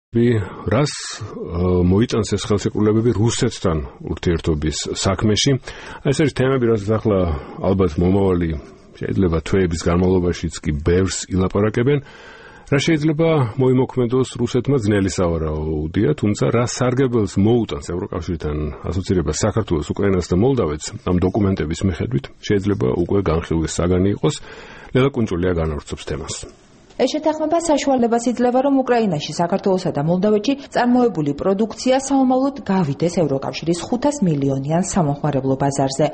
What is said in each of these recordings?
რას მოიწონს ეს ხელშეკრულებები რუსეთთან ურთიერთობის საქმეში? ეს არის თემები, რასაც ახლა ალბათ მომავალი შეიძლება თვეების განმავლობაშიც კი ბევრს ილაპარაკებენ. რა შეიძლება მოიმოქმედოს რუსეთმა ძნელი სავარაუდია, თუმცა რა სარგებელს მოუტანს ევროკავშირთან ასოცირება საქართველოს, უკრაინას და მოლდავეთს ამ დოკუმენტების მიხედვით შეიძლება უკვე განხილვის საგანი იყოს. ლელა კუნჭულია განავრცობს თემას. ეს შეთანხმება საშუალებას იძლევა, რომ უკრაინაში, საქართველოსა და მოლდავეთში წარმოებული პროდუქცია საომავლოდ გავიდეს ევროკავშირის 500 მილიონიან სამომხმარებლო ბაზარზე.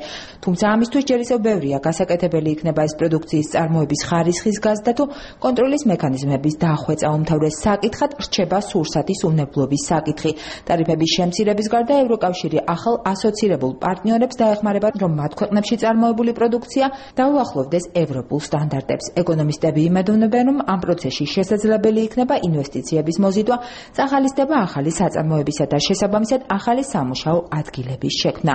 თუმცა ამისთვის ჯერ ისევ ბევრია გასაკეთებელი იქნება ეს პროდუქციის წარმოების ხარისხის გაზრდა თუ კონტროლის მექანიზმების დახვეწა. უმთავრეს საკითხად რჩება სურსათის უნებლობის საკითხი. ტარიფების შემცირების გარდა ევროკავშირი ახალ ასოცირებულ პარტნიორებს დაეხმარება, რომ მათ ქვეყნებში წარმოებული პროდუქცია დაუახლოვდეს ევროპულ სტანდარტებს. ეკონომისტები იმედოვნებენ, რომ ამ პროცესში შესაძლებელი იქნება ინვესტიციების მოზიდვა, წახალისდება ახალი საწარმოებისა და შესაბამისად ახალი სამუშაო ადგილების შექმნა.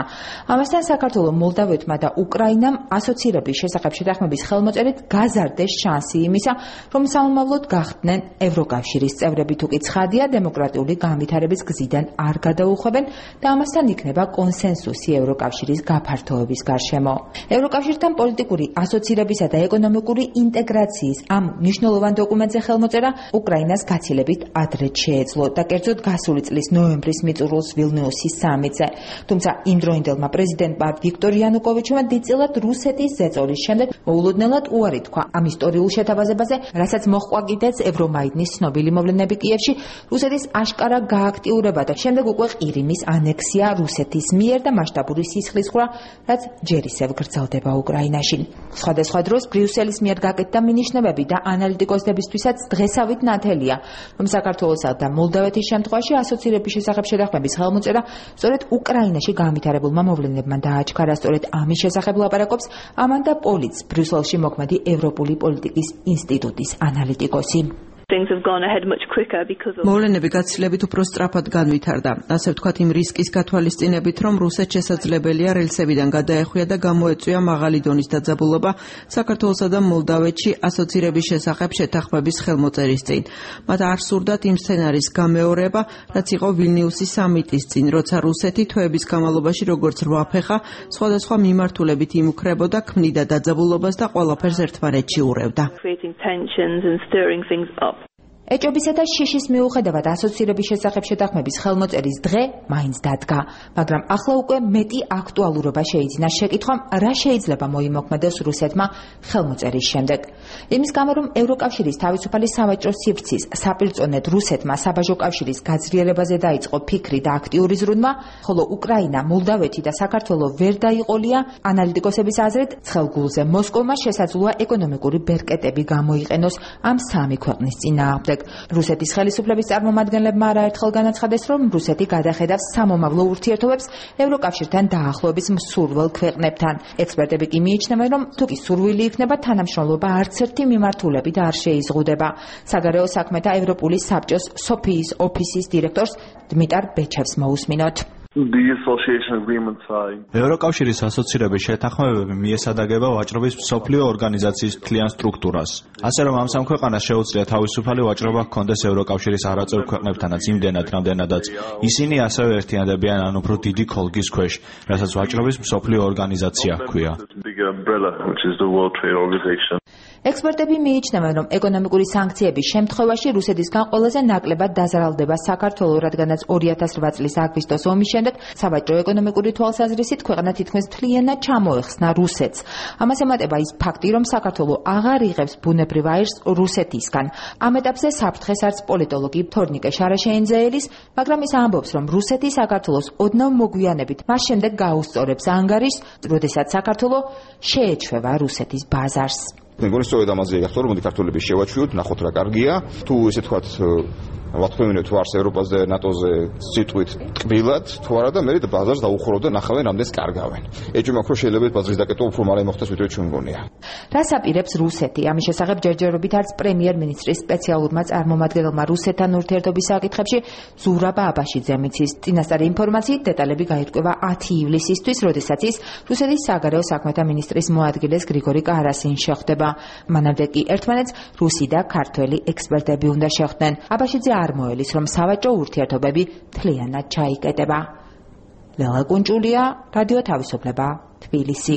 ამასთან საქართველოს, მოლდავეთმა და უკრაინამ ასოცირების შესახებ შეთანხმების ხელმოწერით გაზარდეს შანსი იმისა, რომ საომავლოდ გახდნენ ევროკავშირის წევრები, თუკი ცხადია დემოკრატიული განვითარების გზიდან არ გადაუხვევენ და ამასთან იქნება კონსენსუსი ევროკავშირის გაფართოების გარშემო. ევროკავშირთან პოლიტიკური ასოცირებისა და ეკონომიკური ინტეგრაციის ამ მნიშვნელოვან დოკუმენტზე ხელმოწერა უკრაინას გაცილებით ადრე შეეძლო და კერძოდ გასული წლის ნოემბრის მიწურულს ვილნიუსის სამიტზე. თუმცა იმდროინდელმა პრეზიდენტმა ვიქტორ იანუკოვიჩმა დიდწილად რუსეთის ზეწოლის შემდეგ მოულოდნელად უარი თქვა ამ ისტორიულ შეთავაზებაზე, რასაც მოჰყვა კიდეც ევრომაიდნის ცნობილი მოვლენები კიევში, რუსეთის აშკარა გააქტიურება და შემდეგ უკვე ყირიმის ანექსია რუსეთის მიერ და მასშტაბური სისხლისღვრა, რაც ჯერ ისევ გრძელდება უკრაინაში. სხვადასხვა დროს ბრიუსელის მიერ გაკეთდა მინიშნებები და ანალიტიკოსებისთვისაც დღესავით ნათელია, რომ საქართველოსა და მოლდავეთის შემთხვევაში ასოცირების შესახებ შეთანხმების ხელმოწერა სწორედ უკრაინაში განვითარებულმა მოვლენებმა დააჩქარა. სწორედ ამის შესახებ ლაპარაკობს ამანდა პოლიც, ბრიუსელში მოქმედი ევროპული პოლიტიკის ინსტიტუტის ანალიტიკოსი. მოვლენები გაცილებით უფრო სწრაფად განვითარდა. ასე ვთქვათ, იმ რისკის გათვალისწინებით, რომ რუსეთს შესაძლებელია რელსებიდან გადაეხვია და გამოეწვია მაღალი დონის დაძაბულობა საქართველოსა და მოლდავეთში ასოცირების შესახებ შეთანხმების ხელმოწერის წინ. მათ არ სურდათ იმ სცენარის გამეორება, რაც იყო ვილნიუსის სამიტის წინ, როცა რუსეთი თვეების განმავლობაში როგორც რვაფეხა სხვადასხვა მიმართულებით იმუქრებოდა, ქმნიდა დაძაბულობას და ყველაფერს ერთმანეთში ურევდა. ეჭობისა და შიშის მიუხედავად ასოცირების შესახებ შეთანხმების ხელმოწერის დღე მაინც დადგა, მაგრამ ახლა უკვე მეტი აქტუალურობა შეიძინა შეკითხვამ, რა შეიძლება მოიმოქმედოს რუსეთმა ხელმოწერის შემდეგ. იმის გამო, რომ ევროკავშირის თავისუფალი სავაჭრო სივრცის საპირწონედ რუსეთმა საბაჟო კავშირის გაძლიერებაზე დაიწყო ფიქრი და აქტიური ზრუნვა, ხოლო უკრაინა, მოლდავეთი და საქართველო ვერ დაიყოლია, ანალიტიკოსების აზრით, ცხელგულზე მოსკოვმა შესაძლოა ეკონომიკური ბერკეტები გამოიყენოს ამ სამი ქვეყნის წინააღმდეგ. რუსეთის ხელისუფლების წარმომადგენლებმა არაერთხელ განაცხადეს, რომ რუსეთი გადახედავს სამომავლო ურთიერთობებს ევროკავშირთან დაახლოების მსურველ ქვეყნებთან. ექსპერტები კი მიიჩნევენ, რომ თუკი სურვილი იქნება, თანამშრომლობა არც ერთი მიმართულებით არ შეიზღუდება. საგარეო საქმეთა ევროპული საბჭოს სოფიის ოფისის დირექტორს დმიტარ ბეჩევს მოусმინოთ. ევროკავშირის ასოცირების შეთანხმებები მიესადაგება ვაჭრობის მსოფლიო ორგანიზაციის მთლიან სტრუქტურას. ასე რომ ამ სამ ქვეყანას შეუძლია თავისუფალი ვაჭრობა ჰქონდეს ევროკავშირის არაწევრ ქვეყნებთანაც იმდენად, რამდენადაც ისინი ასევე ერთიანდებიან ან უფრო დიდი ხოლგის ქვეშ, რასაც ვაჭრობის მსოფლიო ორგანიზაცია ჰქვია. ექსპერტები მიიჩნევენ, რომ ეკონომიკური სანქციების შემთხვევაში რუსეთისგან ყველაზე ნაკლებად დაზარალდება საქართველო, რადგანაც 2008 წლის აგვისტოს ომის შემდეგ სავაჭრო ეკონომიკური თვალსაზრისით ქვეყანა თითქმის მთლიანად ჩამოეხსნა რუსეთს. ამას ემატება ის ფაქტი, რომ საქართველო აღარ იღებს ბუნებრივ აირს რუსეთისგან. ამ ეტაპზე საფრთხეს არც პოლიტოლოგი თორნიკე შარაშეინძეელის, მაგრამ ის ამბობს, რომ რუსეთი საქართველოს ოდნავ მოგვიანებით მას შემდეგ გაუსწორებს ანგარიშს, როდესაც საქართველო შეეჩვევა რუსეთის ბაზარს. მეგონი სწორედ ამაზე ახლა რომ ქართველები შევაჩვიოთ, ნახოთ რა კარგია, თუ ესე თქვათ ვათქვევინოთ ვარს ევროპაზე და ნატოზე სიტყვით ტკბილად, თუ არა და მე ბაზარს დაუხურავ და ნახავენ რამდენს კარგავენ. ეჭვი მაქვს რომ შეიძლება ბაზრის დაკეტვა უფრო მალე მოხდეს ვიდრე ჩვენ მგონია. რას აპირებს რუსეთი? ამის შესახებ ჯერჯერობით არც პრემიერ-მინისტრის სპეციალურმა წარმომადგენელმა რუსეთთან ურთიერთობის საკითხებში ზურაბ აბაშიძემ იცის. წინასწარი ინფორმაციით დეტალები გაირკვევა 10 ივლისისთვის, როდესაც ის რუსეთის საგარეო საქმეთა მინისტრის მოადგილეს გრიგორი კარასინს შეხვდება. მანამდე კი ერთმანეთს რუსი და ქართველი ექსპერტები უნდა შეხვდნენ. აბაშიძე წარმოელის, რომ სავაჭრო ურთიერთობები მთლიანად ჩაიკეტება. ლელა კუნჭულია, რადიო თავისუფლება, თბილისი.